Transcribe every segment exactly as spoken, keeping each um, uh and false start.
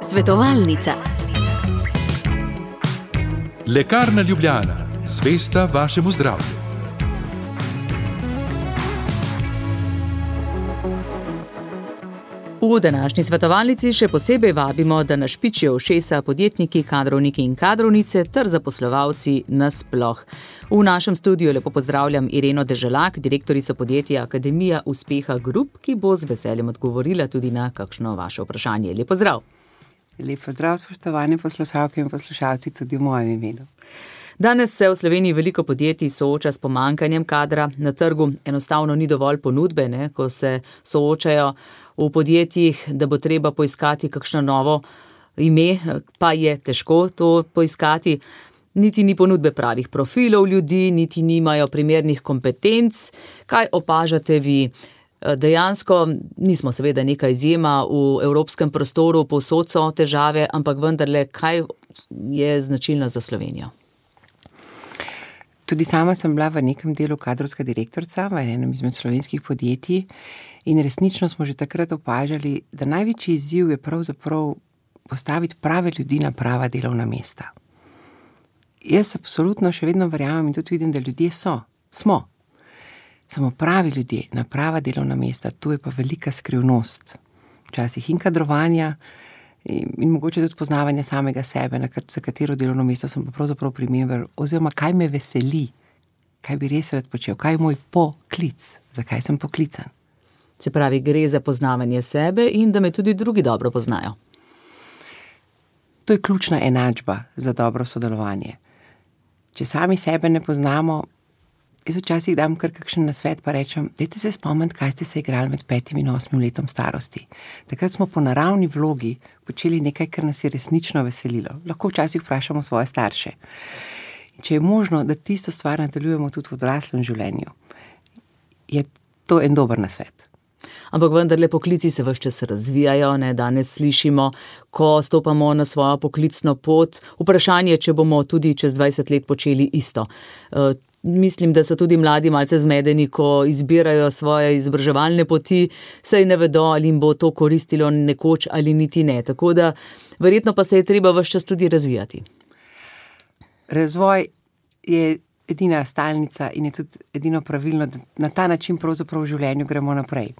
Svetovalnica. Lekarna Ljubljana, zvesta vašemu zdravju. V današnji svetovalnici še posebej vabimo, da našpičijo ušesa podjetniki, kadrovniki in kadrovnice ter zaposlovalci nasploh. V našem studiu lepo pozdravljam Ireno Deželak, direktorico podjetja Akademija uspeha Group, ki bo z veseljem odgovorila tudi na kakšno vaše vprašanje. Lep pozdrav. Lep pozdrav, spoštovane poslušalke in poslušalci, tudi v mojem imenu. Danes se v Sloveniji veliko podjetij sooča s pomanjkanjem kadra. Na trgu enostavno ni dovolj ponudbe, ne, ko se soočajo v podjetjih, da bo treba poiskati kakšno novo ime, pa je težko to poiskati. Niti ni ponudbe pravih profilov ljudi, niti nimajo primernih kompetenc. Kaj opažate vi? Dejansko nismo seveda neka izjema v evropskem prostoru, povsod so težave, ampak vendarle, kaj je značilno za Slovenijo? Tudi sama sem bila v nekem delu kadrovska direktorica v enem izmed slovenskih podjetij in resnično smo že takrat opažali, da največji izziv je pravzaprav postaviti prave ljudi na prava delovna mesta. Jaz absolutno še vedno verjamem in tudi vidim, da ljudje so, smo. Samo pravi ljudje na prava delovna mesta, to je pa velika skrivnost. Včasih in kadrovanja in, in mogoče tudi poznavanja samega sebe, na kat, za katero delovno mesto sem pa pravzaprav primeren, oziroma kaj me veseli, kaj bi res rad počel, kaj je moj poklic, zakaj sem poklican. Se pravi, gre za poznavanje sebe in da me tudi drugi dobro poznajo. To je ključna enačba za dobro sodelovanje. Če sami sebe ne poznamo, jaz včasih dam kar kakšen nasvet pa rečem, dajte se spomniti, kaj ste se igrali med petim in osmim letom starosti. Takrat smo po naravni vlogi počeli nekaj, kar nas je resnično veselilo. Lahko včasih vprašamo svoje starše. Če je možno, da tisto stvar nadaljujemo tudi v odraslem življenju, je to en dober nasvet. Ampak vendarle poklici se ves čas razvijajo, ne, danes slišimo, ko stopamo na svojo poklicno pot, vprašanje, če bomo tudi čez dvajset let počeli isto. Uh, Mislim, da so tudi mladi malce zmedeni, ko izbirajo svoje izobraževalne poti, saj ne vedo, ali jim bo to koristilo nekoč ali niti ne. Tako da verjetno pa se je treba ves čas tudi razvijati. Razvoj je edina stalnica in je tudi edino pravilno, da na ta način pravzaprav v življenju gremo naprej.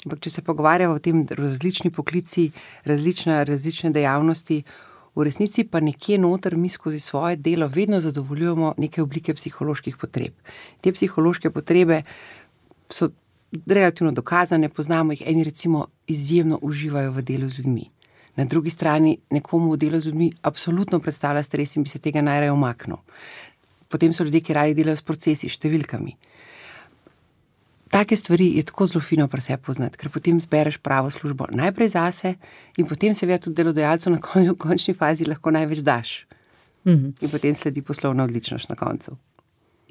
Ampak če se pogovarjamo o tem različni poklici, različne, različne dejavnosti, v resnici pa nekje noter mi skozi svoje delo vedno zadovoljujemo neke oblike psiholoških potreb. Te psihološke potrebe so relativno dokazane, poznamo jih, eni recimo izjemno uživajo v delu z ljudmi. Na drugi strani nekomu v delu z ljudmi absolutno predstavlja stres in bi se tega najraje umaknil. Potem so ljudje, ki radi delajo s procesi, številkami. Take stvari je tako zelo fino pri sebi poznati, ker potem zbereš pravo službo najprej zase in potem seveda tudi delodajalcu na konju, končni fazi lahko največ daš. Mm-hmm. In potem sledi poslovna odličnost na koncu.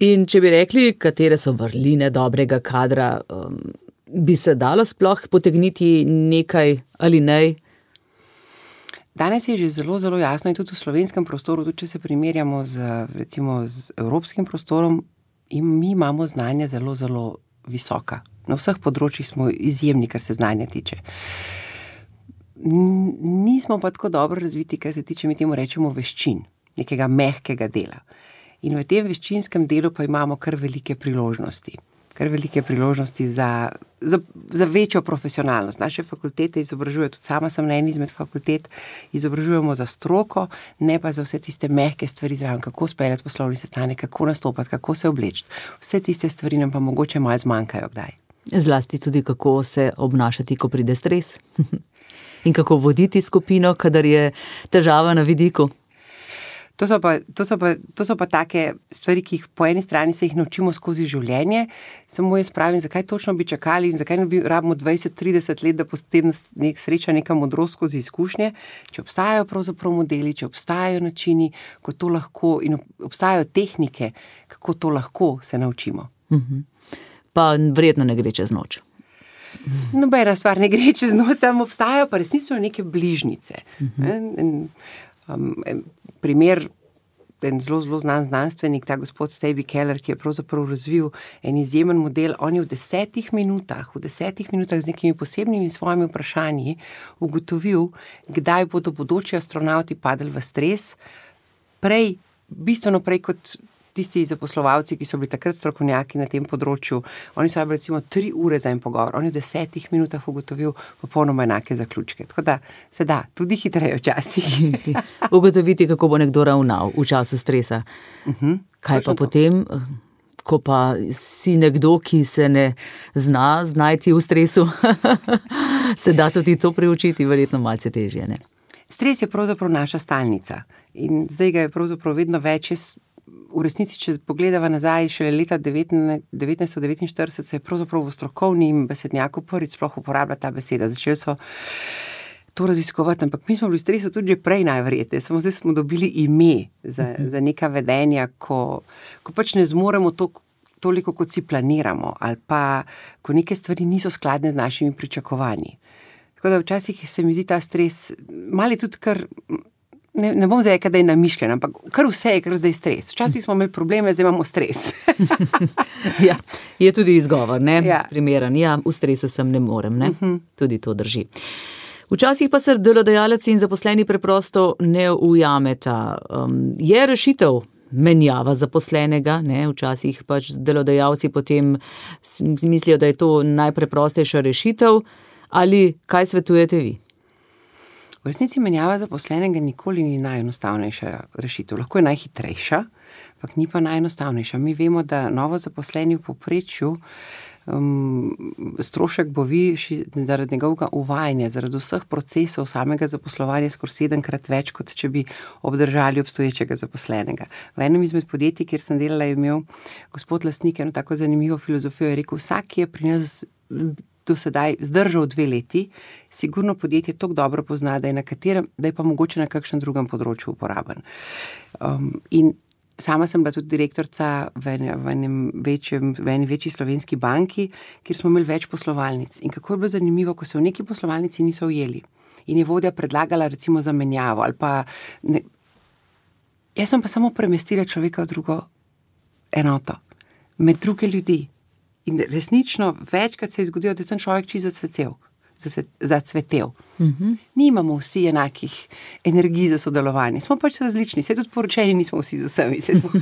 In če bi rekli, katere so vrline dobrega kadra, um, bi se dalo sploh potegniti nekaj ali ne? Danes je že zelo, zelo jasno in tudi v slovenskem prostoru, tudi če se primerjamo z, recimo, z evropskim prostorom, in mi imamo znanje zelo, zelo visoka. Na vseh področjih smo izjemni, kar se znanja tiče. Nismo pa tako dobro razviti, kar se tiče, mi temu rečemo veščin, nekega mehkega dela. In v tem veščinskem delu pa imamo kar velike priložnosti. Kar velike priložnosti za, za, za večjo profesionalnost. Naše fakultete izobražujejo, tudi sama sem na eni izmed fakultet, izobražujemo za stroko, ne pa za vse tiste mehke stvari zraven, kako speljati poslovni sestanek, kako nastopati, kako se obleči. Vse tiste stvari nam pa mogoče malo zmanjkajo kdaj. Zlasti tudi, kako se obnašati, ko pride stres. In kako voditi skupino, kadar je težava na vidiku. To so, pa, to, so pa, to so pa take stvari, ki jih po eni strani se jih naučimo skozi življenje, samo jaz pravim, zakaj točno bi čakali in zakaj ne bi rabimo dvajset trideset let, da potem nek sreča neka modrost skozi izkušnje, če obstajajo pravzaprav modeli, če obstajajo načini, ko to lahko in obstajajo tehnike, kako to lahko se naučimo. Mhm. Pa verjetno ne gre čez noč. Nobena stvar ne gre čez noč, samo obstajajo pa resnično neke bližnjice. Mhm. In, Um, primer en zelo, zelo znan znanstvenik, ta gospod Staby Keller, ki je pravzaprav razvil en izjemen model. On je v desetih minutah, v desetih minutah z nekimi posebnimi svojimi vprašanji ugotovil, kdaj bodo bodoči astronavti padli v stres, prej, bistveno prej kot tisti zaposlovalci, ki so bili takrat strokovnjaki na tem področju. Oni so bili recimo tri ure za en pogovor. On je v desetih minutah ugotovil popolnoma enake zaključke. Tako da se da, tudi hitreje včasih. Ugotoviti, kako bo nekdo ravnal v času stresa. Uh-huh. Kaj pa potem, ko pa si nekdo, ki se ne zna znajti v stresu, se da tudi to priučiti, verjetno malce težje, ne? Stres je pravzaprav naša stalnica in zdaj ga je pravzaprav vedno več. V resnici, če pogledava nazaj, šele leta devetnajststo devetinštirideset se je pravzaprav v strokovnem besednjaku prvič sploh uporablja ta beseda. Začeli so to raziskovati, ampak mi smo bili v stresu tudi že prej najverjetneje, samo zdaj smo dobili ime za, za neka vedenja, ko, ko pač ne zmoremo to, toliko, kot si planiramo, ali pa ko neke stvari niso skladne z našimi pričakovanji. Tako da včasih se mi zdi ta stres, mali tudi kar... Ne, ne bom zdaj rekel, da je namišljen, ampak kar vse je, kar zdaj stres. Včasih smo imeli probleme, zdaj imamo stres. Ja, je tudi izgovor, ne? Ja. Primeren. Ja, v stresu sem ne morem, ne? Uh-huh. Tudi to drži. Včasih pa se delodajalec in zaposleni preprosto ne ujameta. Um, je rešitev menjava zaposlenega, ne? Včasih pač delodajalci potem mislijo, da je to najpreprostejša rešitev. Ali kaj svetujete vi? V resnici menjava zaposlenega nikoli ni najenostavnejša rešitev. Lahko je najhitrejša, ampak ni pa najenostavnejša. Mi vemo, da novo zaposleni v povprečju um, strošek bo višji zaradi njegovega uvajanja, zaradi vseh procesov samega zaposlovanja skoraj sedemkrat več, kot če bi obdržali obstoječega zaposlenega. V enem izmed podjetij, kjer sem delala, je imel gospod lastnik eno tako zanimivo filozofijo, je rekel, vsak, ki je pri nas do sedaj zdržal dve leti, sigurno podjetje toliko dobro pozna, da je na katerem, da je pa mogoče na kakšnem drugem področju uporaben. Um, in sama sem bila tudi direktorica v, v enem večjem, v eni večji slovenski banki, kjer smo imeli več poslovalnic. In kako je bilo zanimivo, ko se v neki poslovalnici niso ujeli in je vodja predlagala recimo zamenjavo ali pa ne, jaz sem pa samo premestila človeka v drugo enoto, med druge ljudi. In resnično večkrat se je zgodilo, da sem človek čisto zacvetel. zacvetel. Uh-huh. Nimamo vsi enakih energij za sodelovanje. Smo pač različni. Se tudi poročeni nismo vsi z vsemi. Se smo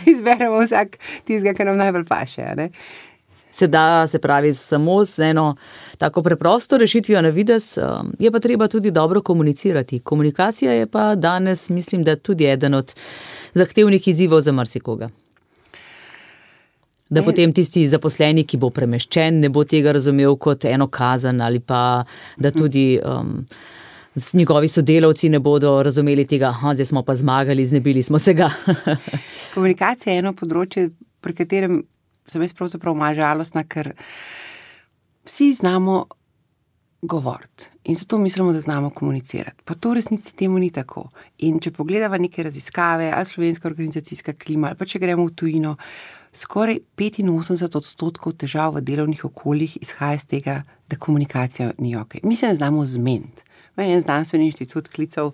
izberemo vsak tistega, kar nam najbolj paše. Ne? Se da, se pravi, samo z eno tako preprosto rešitvijo na vides, je pa treba tudi dobro komunicirati. Komunikacija je pa danes, mislim, da tudi eden od zahtevnih izzivov za marsikoga. Da potem tisti zaposleni, ki bo premeščen, ne bo tega razumel kot eno kazen ali pa da tudi um, njegovi sodelavci ne bodo razumeli tega, aha, zdaj smo pa zmagali, znebili smo se ga. Komunikacija je eno področje, pri katerem sem jaz pravzaprav malo žalostna, ker vsi znamo govoriti in zato mislimo, da znamo komunicirati. Pa to v resnici temu ni tako. In če pogledava neke raziskave, ali slovenska organizacijska klima, ali pa če gremo v tujino, skoraj petinosemdeset odstotkov težav v delovnih okoljih izhaja iz tega, da komunikacija ni ok. Mi se ne znamo zmeniti. Meni je en znanstveni inštitut klical,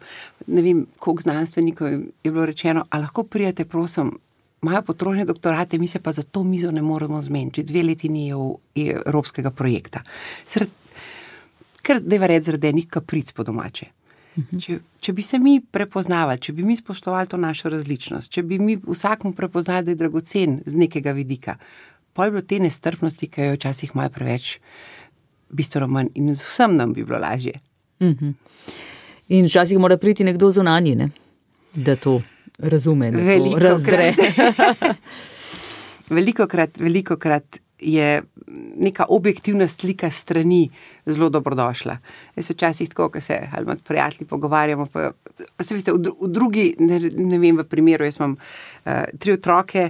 ne vem, koliko znanstvenikov je bilo rečeno, a lahko prijete, prosim, imajo potrošne doktorate, mi se pa za to mizo ne moramo zmeniti. Že dve leti ni evropskega projekta. Sred, ker deva reči zaradi enih kapric po domače. Če, če bi se mi prepoznavali, če bi mi spoštovali to našo različnost, če bi mi vsakmu prepoznali, da je dragocen z nekega vidika, pa je bilo te nestrpnosti, ki jo včasih malo preveč, bistveno manj in vsem nam bi bilo lažje. Uh-huh. In včasih mora priti nekdo zunanji, ne? Da to razume, da veliko to razdre. velikokrat, velikokrat je neka objektivna slika strani zelo dobrodošla. Jaz včasih tako, ko se ali med prijatelji pogovarjamo, pa, pa se veste, v, dru, v drugi, ne, ne vem, v primeru, jaz imam uh, tri otroke,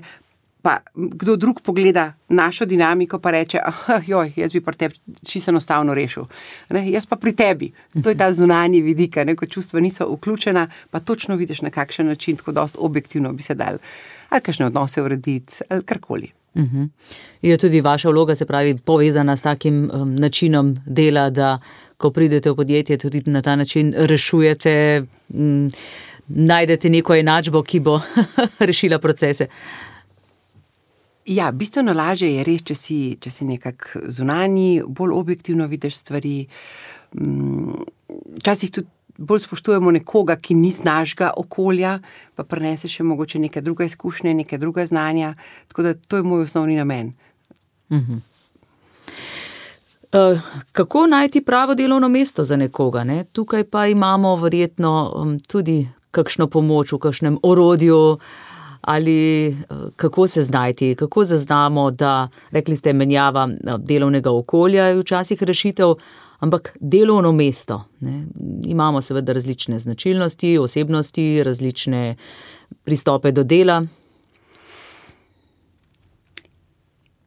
pa kdo drug pogleda našo dinamiko, pa reče, ah, joj, jaz bi pri tebi čisto enostavno rešil. Ne, jaz pa pri tebi. To je ta zunanji vidik, ne, ko čustva niso vključena, pa točno vidiš, na kakšen način, tako dost objektivno bi se dal ali kakšne odnose urediti, ali karkoli. Uh-huh. Je tudi vaša vloga, se pravi, povezana s takim um, načinom dela, da ko pridete v podjetje, tudi na ta način rešujete um, najdete neko enačbo, ki bo rešila procese? Ja, bistveno lažje je res, če si, če si nekak zunanji, bolj objektivno vidiš stvari. Včasih tudi bolj spoštujemo nekoga, ki ni z našega okolja, pa prenese še mogoče neke druge izkušnje, neke druga znanja. Tako da to je moj osnovni namen. Mhm. Uh, kako najti pravo delovno mesto za nekoga? Ne? Tukaj pa imamo verjetno um, tudi kakšno pomoč v kakšnem orodju ali uh, kako se znajti, kako zaznamo, da, rekli ste, menjava delovnega okolja je včasih rešitev, ampak delovno mesto. Ne? Imamo seveda različne značilnosti, osebnosti, različne pristope do dela.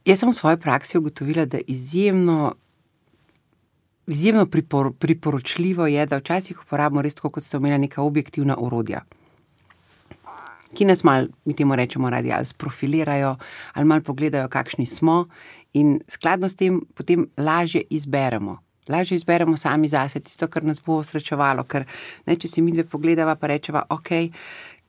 Jaz sem v svoji praksi ugotovila, da izjemno Izjemno pripor, priporočljivo je, da včasih uporabimo res tako, kot ste omenili, neka objektivna orodja, ki nas malo, mi temu rečemo radi, ali sprofilirajo, ali malo pogledajo, kakšni smo in skladno s tem potem lažje izberemo. Lažje izberemo sami zase tisto, kar nas bo srečevalo, ker ne, če si midve pogledava, pa rečeva, ok,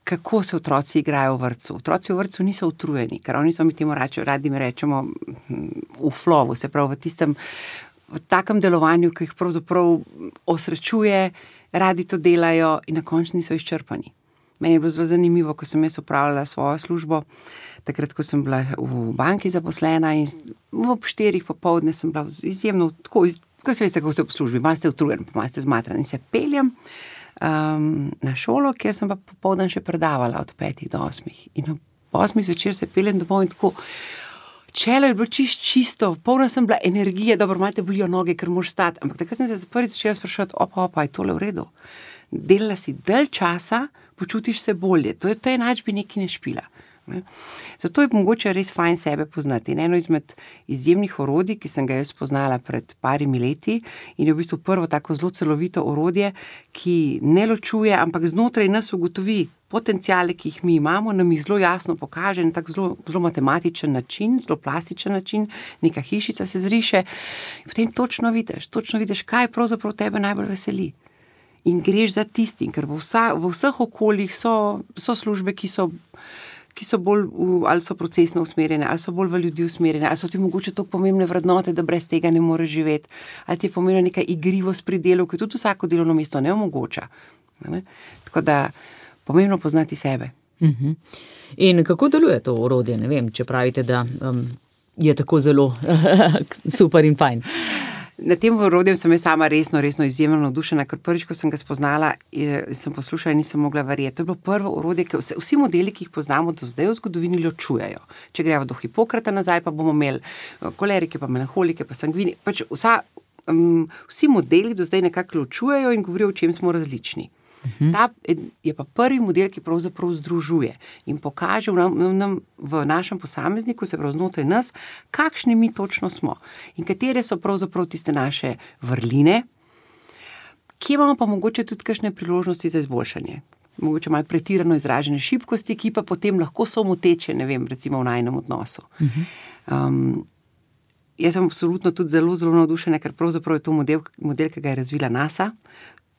kako se otroci igrajo v vrtcu. Otroci v vrtcu niso utrujeni, ker oni so, mi temu radi mi rečemo v flowu, se pravi v tistem v takem delovanju, ki jih pravzaprav osrečuje, radi to delajo in na koncu niso izčrpani. Meni je bilo zelo zanimivo, ko sem jaz opravljala svojo službo, takrat, ko sem bila v banki zaposlena in ob štirih popoldne sem bila izjemno, tako, ko se veste, kako ste v službi, malo ste utrujen, malo ste zmatran in se peljem um, na šolo, kjer sem pa popoldan še predavala od petih do osmih. In ob osmih zvečer se peljem domov in tako, čelo je bilo čist čisto, polna sem bila energije, dobro, malo te bolijo noge, ker moraš stati, ampak takrat sem se prvič začela spraševati, opa, opa, je tole v redu? Delala si dalj časa, počutiš se bolje, to je to enačbi nekaj ne špila. Ne? Zato je mogoče res fajn sebe poznati. In eno izmed izjemnih orodij, ki sem ga jaz poznala pred parimi leti in je v bistvu prvo tako zelo celovito orodje, ki ne ločuje, ampak znotraj nas ugotovi potenciale, ki jih mi imamo, nam jih zelo jasno pokaže na tak zelo, zelo matematičen način, zelo plastičen način, neka hišica se zriše in potem točno vidiš, točno vidiš, kaj pravzaprav tebe najbolj veseli. In greš za tistim, ker v, vsa, v vseh okoljih so, so službe, ki so ki so bolj, v, ali so procesno usmerjene, ali so bolj v ljudi usmerjene, ali so ti mogoče toliko pomembne vrednote, da brez tega ne moreš živeti, ali ti je pomembna neka igrivost pri delu, ki tudi vsako delovno mesto ne omogoča. Ne? Tako da pomembno poznati sebe. Uh-huh. In kako deluje to orodje? Ne vem, če pravite, da um, je tako zelo super in fajn. Na tem orodjem sem jaz sama resno, resno izjemno navdušena, ker prvič, ko sem ga spoznala, sem poslušala in nisem mogla verjeti. To je bilo prvo orodje, ki vse, vsi modeli, ki jih poznamo do zdaj v zgodovini, ločujejo. Če gremo do Hipokrata nazaj, pa bomo imeli kolerike, pa melanholike, pa sangvini. Pač vsa, um, vsi modeli do zdaj nekako ločujejo in govorijo, o čem smo različni. Uh-huh. Ta je pa prvi model, ki pravzaprav združuje in pokaže v, nam, v našem posamezniku, se prav znotraj nas, kakšni mi točno smo in katere so pravzaprav tiste naše vrline, kje imamo pa mogoče tudi kakšne priložnosti za izboljšanje. Mogoče malo pretirano izražene šibkosti, ki pa potem lahko so moteče, ne vem, recimo v najinem odnosu. Uh-huh. Um, jaz sem absolutno tudi zelo, zelo navdušena, ker pravzaprav je to model, model, ki ga je razvila NASA.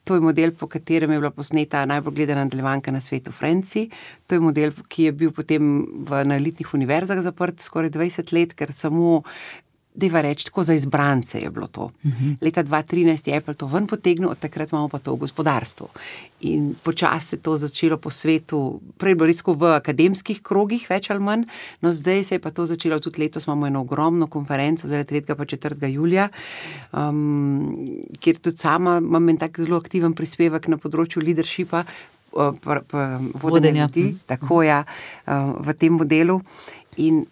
To je model, po katerem je bila posneta najbolj gledana nadaljevanka na svetu Friendsi. To je model, ki je bil potem v, na elitnih univerzah zaprt skoraj dvajset let, ker samo, dajva reči, tako za izbrance je bilo to. Uh-huh. Leta dva tisoč trinajst je Apple to ven potegnil, od takrat imamo pa to v gospodarstvu. In počasi se je to začelo po svetu, prej bilo res v akademskih krogih, več ali manj, no zdaj se je pa to začelo, tudi letos imamo eno ogromno konferenco, zaradi tretjega pa četrtega julija, um, kjer tudi sama imam en tak zelo aktiven prispevek na področju leadershipa, uh, pa, pa, vodenja ljudi, tako ja, uh, v tem modelu. In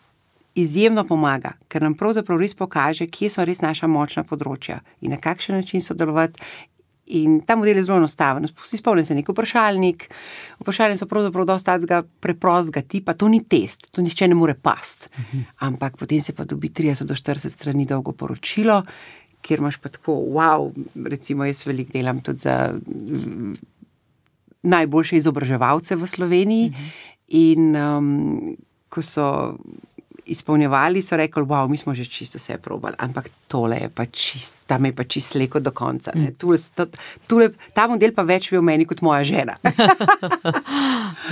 izjemno pomaga, ker nam pravzaprav res pokaže, kje so res naša močna področja in na kakšen način sodelovati. In ta model je zelo enostaven. Vsi spomnim se nek vprašalnik. Vprašalnik so pravzaprav dosti tacga preprostega tipa. To ni test, to nihče ne more past. Uh-huh. Ampak potem se pa dobi trideset do štirideset strani dolgo poročilo, kjer imaš pa tako, wow, recimo jaz veliko delam tudi za najboljše izobraževalce v Sloveniji. Uh-huh. In um, ko so izpolnjevali, so rekli, wow, mi smo že čisto vse probali, ampak tole je pa čist, tam je pa čist sleko do konca. Ne. Tule, tule, ta model pa več ve o meni kot moja žena.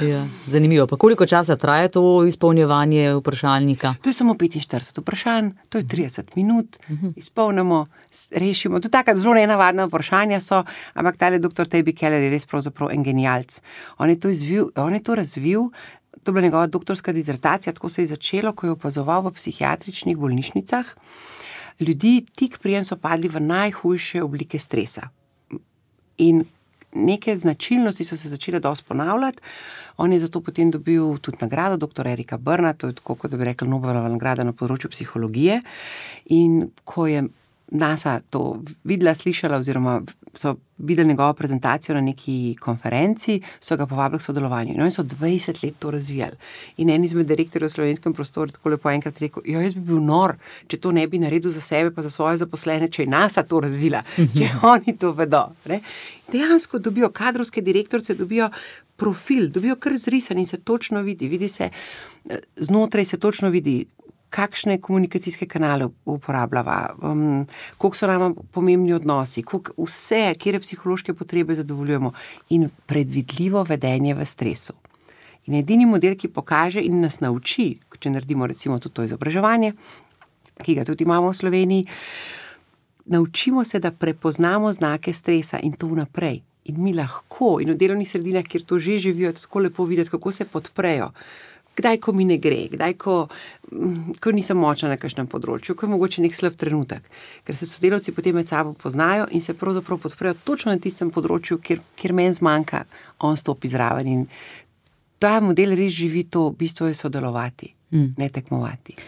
Ja, zanimivo. Pa koliko časa traja to izpolnjevanje vprašalnika? To je samo petinštirideset vprašanj, to je trideset minut, izpolnimo, rešimo. To taka zelo nenavadna vprašanja so, ampak tale doktor Toby Keller je res pravzaprav en genialc. On je to izvil, on je to razvil, to je bila njegova doktorska dizertacija, tako se je začelo, ko je opazoval v psihiatričnih bolnišnicah. Ljudi tik prijem so padli v najhujše oblike stresa. In neke značilnosti so se začele dosti ponavljati. On je zato potem dobil tudi nagrado doktor Erika Brna, to je tako, kot da bi rekli Nobelova nagrada na področju psihologije. In ko je NASA to videla, slišala oziroma so videli njegovo prezentacijo na neki konferenci, so ga povabili k sodelovanju. In oni so dvajset let to razvijali. In en izmed direktorjev v slovenskem prostoru tako lepo enkrat rekel, jo, jaz bi bil nor, če to ne bi naredil za sebe pa za svoje zaposlene, če je NASA to razvila, če oni to vedo. Ne? Dejansko dobijo, kadrovske direktorce dobijo profil, dobijo kar zrisan in se točno vidi, vidi se, znotraj se točno vidi, kakšne komunikacijske kanale uporabljava, um, koliko so nam pomembni odnosi, koliko vse, kjer psihološke potrebe zadovoljujemo in predvidljivo vedenje v stresu. In edini model, ki pokaže in nas nauči, če naredimo recimo tudi to izobraževanje, ki ga tudi imamo v Sloveniji, naučimo se, da prepoznamo znake stresa in to vnaprej. In mi lahko, in v delovnih sredinah, kjer to že živijo, tako lepo videti, kako se podprejo. Kdaj, ko mi ne gre, kdaj, ko, ko nisem močna na kakšnem področju, ko je mogoče nek slab trenutek, ker se sodelavci potem med sabo poznajo in se pravzaprav podprejo točno na tistem področju, kjer, kjer meni zmanjka, on stopi zraven in ta model res živi to, v bistvu je sodelovati, mm. ne tekmovati.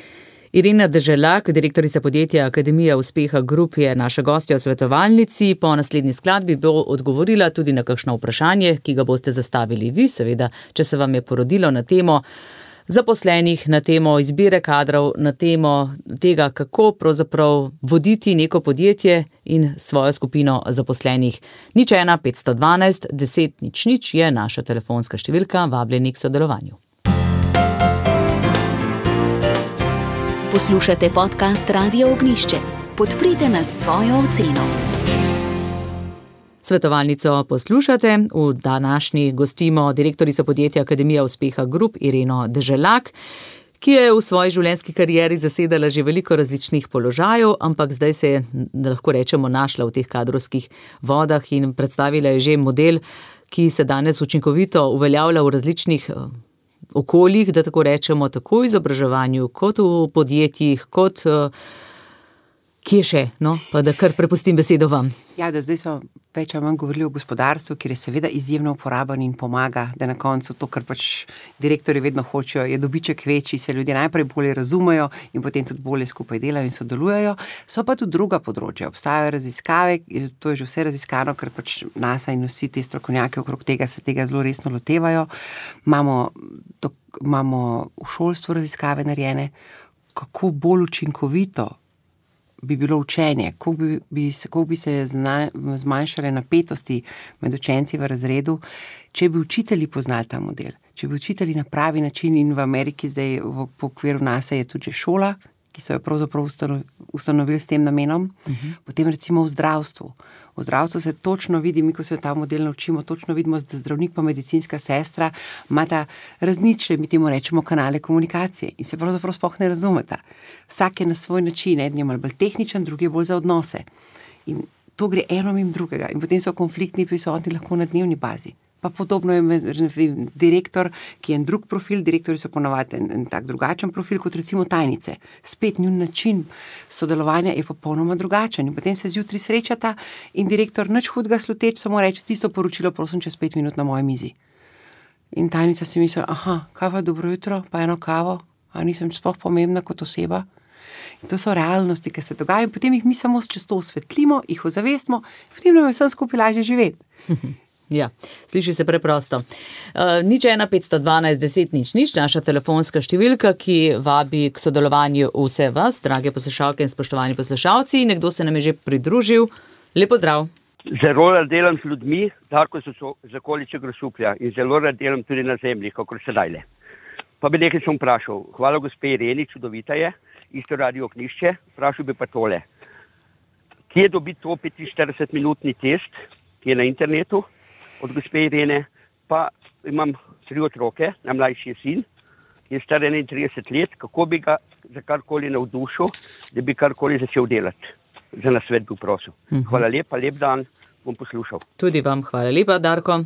Irena Deželak, direktorica podjetja Akademija uspeha Group, je naša gostja v svetovalnici. Po naslednji skladbi bo odgovorila tudi na kakšno vprašanje, ki ga boste zastavili vi, seveda, če se vam je porodilo na temo zaposlenih, na temo izbire kadrov, na temo tega, kako pravzaprav voditi neko podjetje in svojo skupino zaposlenih. Nič ena petsto dvanajst deset nič nič je naša telefonska številka, vabljeni k sodelovanju. Poslušate podcast Radio Ognjišče. Podprite nas s svojo oceno. Svetovalnico poslušate. V današnji gostimo direktorico podjetja Akademija uspeha Group Ireno Deželak, ki je v svoji življenjski karieri zasedala že veliko različnih položajev, ampak zdaj se je, da lahko rečemo, našla v teh kadrovskih vodah in predstavila je že model, ki se danes učinkovito uveljavlja v različnih okoljih, da tako rečemo, tako v izobraževanju, kot v podjetjih, kot kje še, no, pa da kar prepustim besedo vam. Ja, da zdaj smo več ali manj govorili o gospodarstvu, kjer je seveda izjemno uporaben in pomaga, da na koncu to, kar pač direktorji vedno hočejo, je dobiček večji, se ljudje najprej bolje razumejo in potem tudi bolje skupaj delajo in sodelujejo. So pa tudi druga področja. Obstajajo raziskave, to je že vse raziskano, ker pač NASA in vsi ti strokovnjaki okrog tega se tega zelo resno lotevajo. Imamo, to, imamo v šolstvu raziskave narejene, kako bolj učinkovito bi bilo učenje, kako bi, bi, kako bi se zna, zmanjšale napetosti med učenci v razredu, če bi učitelji poznali ta model, če bi učitelji na pravi način, in v Ameriki zdaj v, v okviru NASA je tudi že šola, ki so jo pravzaprav ustanovili s tem namenom, uh-huh. Potem recimo v zdravstvu. V zdravstvu se točno vidi, mi ko se ta model naučimo, točno vidimo, da zdravnik pa medicinska sestra imata različne, mi temu rečemo, kanale komunikacije in se pravzaprav sploh ne razumeta. Vsak je na svoj način, eden je malo bolj tehničen, drugi je bolj za odnose. In to gre eno mimo drugega in potem so konfliktni prisotni lahko na dnevni bazi. Pa podobno je med direktor, ki je en drug profil, direktorji so ponavadi en, en tak drugačen profil kot recimo tajnice. Spet njun način sodelovanja je popolnoma drugačen in potem se zjutraj srečata in direktor nič hudega sluteč samo reče, tisto poročilo prosim čez pet minut na moji mizi. In tajnica si misli, aha, kaj pa dobro jutro, pa eno kavo, a nisem sploh pomembna kot oseba. In to so realnosti, ki se dogajajo in potem jih mi samo čez to osvetlimo, jih ozavestimo, potem nam je vsem skupaj lažje živeti. Ja, sliši se preprosto. Uh, nič ena petsto dvanajst deset nič nič, naša telefonska številka, ki vabi k sodelovanju vse vas, drage poslušalke in spoštovani poslušalci. Nekdo se nam je že pridružil. Lepo zdrav. Zelo rad delam z ljudmi, Darko so z okolice Grosuplja in zelo rad delam tudi na zemlji, kakor sedajle. Pa bi nekaj sem vprašal. Hvala gospe Ireni, čudovita je, isto Radio Ognišče. Vprašal bi pa tole. Kje dobiti to petinštiridesetminutni test, ki je na internetu od gospe Irene, pa imam tri otroke, najmlajši je sin, ki je star enaintrideset let, kako bi ga za karkoli navdušil, da bi karkoli začel delati. Za nasvet bi prosil. Hvala lepa, lep dan, bom poslušal. Tudi vam hvala lepa, Darko.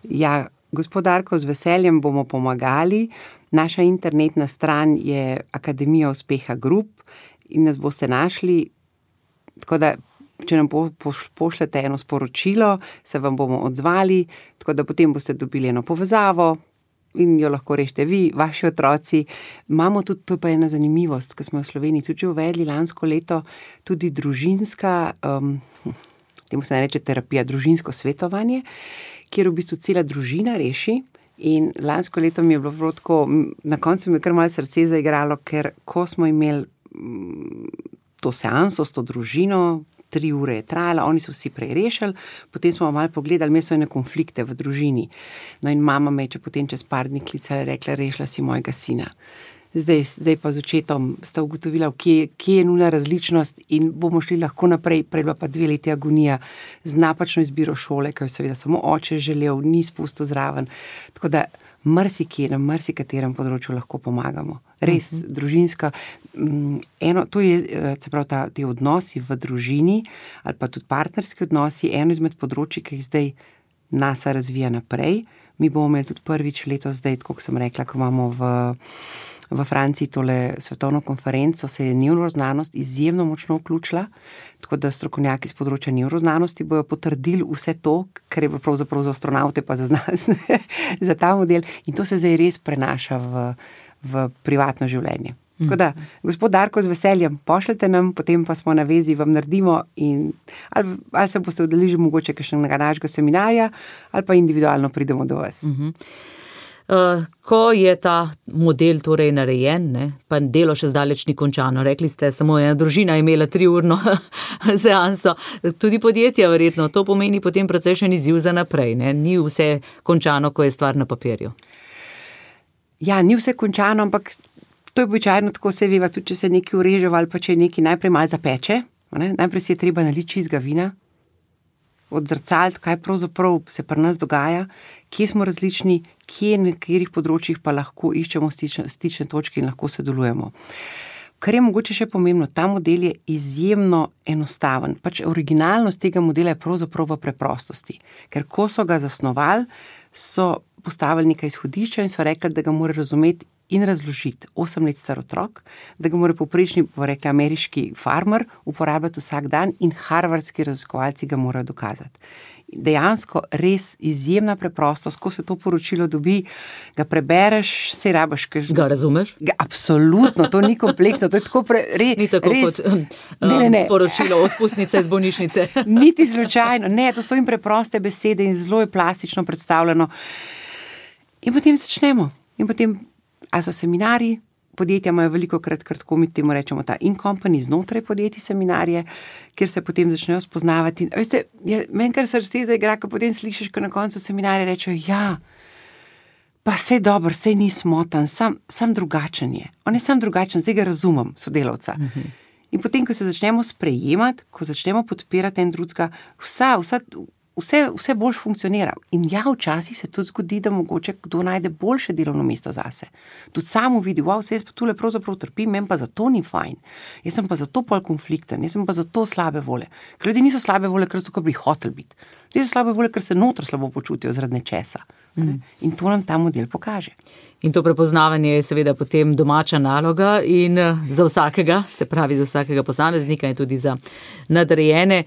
Ja, gospod Darko, z veseljem bomo pomagali. Naša internetna stran je Akademija uspeha Group in nas boste našli, tako da če nam po, po, pošljete eno sporočilo, se vam bomo odzvali, tako da potem boste dobili eno povezavo in jo lahko rešite vi, vaši otroci. Imamo tudi, to je pa ena zanimivost, ki smo v Sloveniji tudi uvedli lansko leto, tudi družinska, um, temu se ne reče terapija, družinsko svetovanje, kjer v bistvu cela družina reši. In lansko leto mi je bilo tako, na koncu mi je kar malo srce zaigralo, ker ko smo imeli to seanso s to družino, tri ure je trajala, oni so vsi prej rešili, potem smo malo pogledali, imeli so ene konflikte v družini. No in mama me je če potem čez par dni klicala, rekla, rešila si mojega sina. Zdaj, zdaj pa z očetom sta ugotovila, kje, kje je nuna različnost in bomo šli lahko naprej, prej bila pa dve leti agonija z napačno izbiro šole, ki jo seveda samo oče želel, ni spustil zraven. Tako da marsikje, na marsikaterem področju lahko pomagamo. Res, uh-huh. družinska, eno, to je, se pravi, ta, ti odnosi v družini ali pa tudi partnerski odnosi, eno izmed področji, ki jih zdaj NASA razvija naprej. Mi bomo imeli tudi prvič letos zdaj, tako sem rekla, ko imamo v V Franciji tole svetovno konferenco, se je nevroznanost izjemno močno vključila, tako da strokovnjaki z področja nevroznanosti bojo potrdili vse to, kar je pravzaprav za astronaute pa za znanost, za ta model, in to se zdaj res prenaša v, v privatno življenje. Tako da, gospod Darko, z veseljem pošljete nam, potem pa smo na vezi, vam naredimo in ali, ali se boste udeležili mogoče kakšnega našega seminarja ali pa individualno pridemo do vas. Uh-huh. Uh, ko je ta model torej narejen, ne, pa delo še zdaleč ni končano, rekli ste, samo ena družina je imela triurno seanso, tudi podjetja verjetno, to pomeni potem precejšen izziv za naprej, ne, ni vse končano, ko je stvar na papirju. Ja, ni vse končano, ampak to je običajno tako, se veva, tudi če se nekaj ureže ali pa če nekaj najprej malo zapeče, ne, najprej si je treba naliti čistega vina, odzrcaliti, kaj pravzaprav se pri nas dogaja, kje smo različni, kje na katerih področjih pa lahko iščemo stične, stične točke in lahko sodelujemo. Kar je mogoče še pomembno, ta model je izjemno enostaven. Pač originalnost tega modela je pravzaprav v preprostosti. Ker ko so ga zasnovali, so postavili nekaj izhodišča in so rekli, da ga mora razumeti in razložiti osem let star otrok, da ga mora povprečni, bo rekli, ameriški farmer uporabljati vsak dan in harvardski raziskovalci ga morajo dokazati. Dejansko res izjemna preprostost, ko se to poročilo dobi, ga prebereš, se rabaš. Kaž... Ga razumeš? Ga, absolutno, to ni kompleksno, to je tako pre... Re, ni tako res... kot um, ne, ne, ne. poročilo odpustnice iz bolnišnice. Niti slučajno, ne, to so jim preproste besede in zelo je plastično predstavljeno. In potem začnemo. In potem, ali so seminarji, podjetja imajo veliko krat, kar tako mi temu rečemo, ta in-company znotraj podjetij seminarje, kjer se potem začnejo spoznavati. Veste, je, meni kar srce zaigra, ko potem slišiš, ko na koncu seminarja rečejo, ja, pa sej dobro, sej ni smotan, sam, sam drugačen je. On je sam drugačen, zdaj ga razumem, sodelavca. Mhm. In potem, ko se začnemo sprejemati, ko začnemo podpirati en drugega, vsa, vsa, Vse, vse boljš funkcionira. In ja, včasih se tudi zgodi, da mogoče kdo najde boljše delovno mesto zase. Tudi samo vidi, wow, se jaz pa tule pravzaprav trpim, meni pa zato ni fajn. Jaz sem pa zato pol konflikten, jaz sem pa zato slabe vole. Ker ljudi niso slabe vole, ker so tukaj bi hoteli biti. Ljudje so slabe vole, ker se notro slabo počutijo zaradi nečesa. Mm. In to nam ta model pokaže. In to prepoznavanje je seveda potem domača naloga in za vsakega, se pravi za vsakega posameznika in tudi za nadrejene.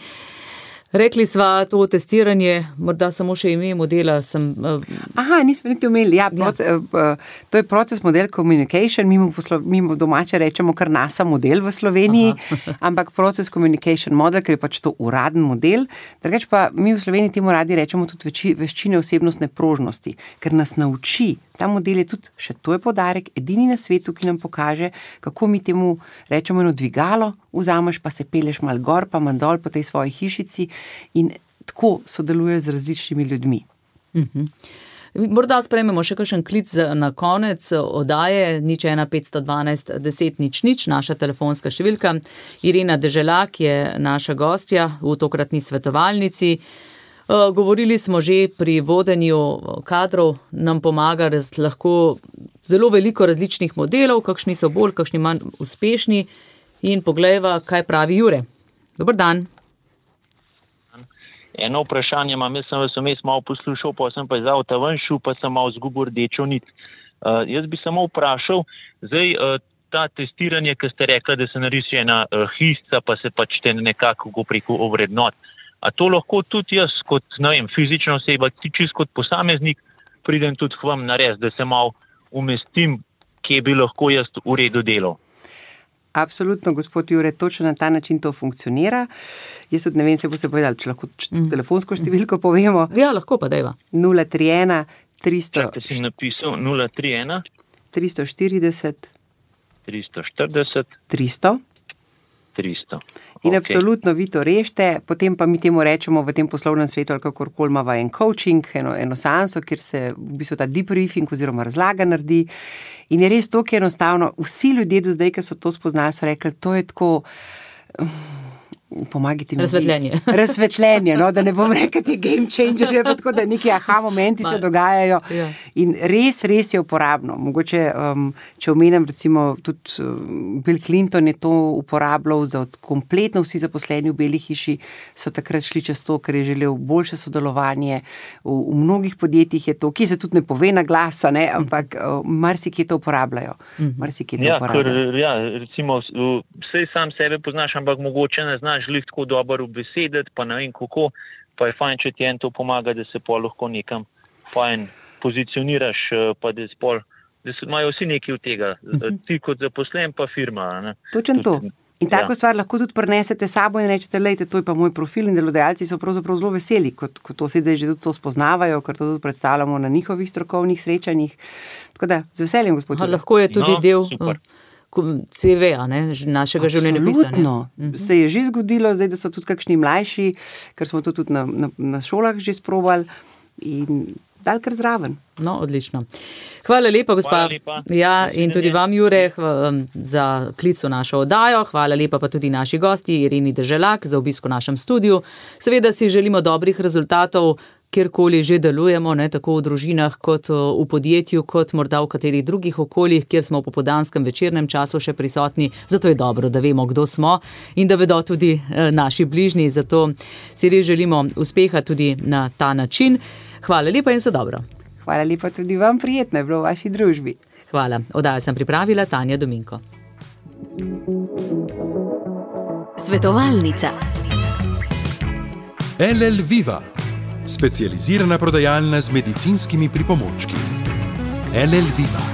Rekli sva to testiranje, morda samo še ime modela sem... Uh... Aha, nismo niti umeli. Ja, proces, ja. Uh, to je proces model communication, mi mu, poslo, mi mu domače rečemo kar NASA model v Sloveniji, ampak proces communication model, ker je pač to uraden model. Drugač pa mi v Sloveniji temu radi rečemo tudi veči, veščine osebnostne prožnosti, ker nas nauči. Ta model je tudi, še to je poudarek, edini na svetu, ki nam pokaže, kako mi temu rečemo eno dvigalo, vzameš pa se peleš mal gor, pa mal dol po tej svoji hišici in tako sodeluješ z različnimi ljudmi. Uh-huh. Morda sprejmemo še kakšen klic na konec oddaje, nič ena petsto dvanajst deset nič nič, naša telefonska številka. Irena Deželak je naša gostja v tokratni svetovalnici. Govorili smo že pri vodenju kadrov, nam pomaga raz, lahko zelo veliko različnih modelov, kakšni so bolj, kakšni manj uspešni. In poglejva, kaj pravi Jure. Dober dan. Eno vprašanje imam, jaz sem vas vmes malo poslušal, pa sem pa iz avta ven šel, pa sem malo zgubil rdečo nit. Uh, jaz bi samo vprašal, zdaj uh, ta testiranje, ki ste rekla, da se narisi ena uh, hisca, pa se pač te nekako preko ovrednot. A to lahko tudi jaz kot, ne vem, fizična oseba, čist kot posameznik, pridem tudi k vam nares, da se malo umestim, kje bi lahko jaz v redu delal. Absolutno, gospod Jure, točno na ta način to funkcionira. Jaz tudi ne vem, se boste povedali, če lahko mm. telefonsko številko povemo. Ja, lahko pa dajva. nula tri ena tristo Čakaj, si napisal nula tri ena tristo štirideset tristo štirideset tristo tristo. In Okay. absolutno vi to rešite, potem pa mi temu rečemo v tem poslovnem svetu ali kakorkoli imava en coaching, eno, eno seanso, kjer se v bistvu ta debriefing oziroma razlaga naredi. In je res to, ki je enostavno. Vsi ljudje do zdaj, ki so to spoznali, so rekli, to je tako, pomagajte mi. Razsvetljenje. Razsvetljenje, no, da ne bom rekel, ti game changer, pa tako, da neki aha momenti se dogajajo. Ja. In res, res je uporabno. Mogoče, um, če omenim, recimo, tudi um, Bill Clinton je to uporabljal za kompletno vsi zaposleni v Beli hiši, so takrat šli čez to, ker je želel boljše sodelovanje. V, v mnogih podjetjih je to, ki se tudi ne pove na glas, ne, ampak uh, marsikje to uporabljajo. Marsikje to Ja, uporabljajo. ker, ja, recimo, vsej sam sebe poznaš, ampak mogoče ne znaš glih tako dobro ubesediti, pa ne vem kako, pa je fajn, če ti en to pomaga, da se pol lahko nekam fajn pozicioniraš, pa da, spol, da se imajo vsi nekaj od tega. Ti kot zaposlen, pa firma. Ne? Točno to. In tako Ja. stvar lahko tudi prinesete sabo in rečete, lejte, to je pa moj profil, in delodajalci so pravzaprav zelo veseli, kot, kot to sedaj že tudi to spoznavajo, ker to tudi predstavljamo na njihovih strokovnih srečanjih. Tako da, z veseljem, gospod Ha, Jure. lahko je tudi No, del super. C V-a, ne, našega življenjepisa. Absolutno. Se je že zgodilo, zdaj, da so tudi kakšni mlajši, ker smo to tudi na, na, na šolah že sprobali in dal kar zraven. No, odlično. Hvala lepa, gospa. Hvala lepa. Ja, in tudi vam, Jure, hva- za klic v našo oddajo. Hvala lepa pa tudi naši gosti, Ireni Deželak, za obisk v našem studiu. Seveda si želimo dobrih rezultatov, kjerkoli že delujemo, ne, tako v družinah, kot v podjetju, kot morda v katerih drugih okoljih, kjer smo v popoldanskem večernem času še prisotni. Zato je dobro, da vemo, kdo smo in da vedo tudi eh, naši bližnji. Zato si res želimo uspeha tudi na ta način. Hvala lepa in vse dobro. Hvala lepa tudi vam, prijetno je bilo v vaši družbi. Hvala. Oddajo sem pripravila Tanja Dominko. Svetovalnica. L L Viva, specializirana prodajalna z medicinskimi pripomočki. L L Viva.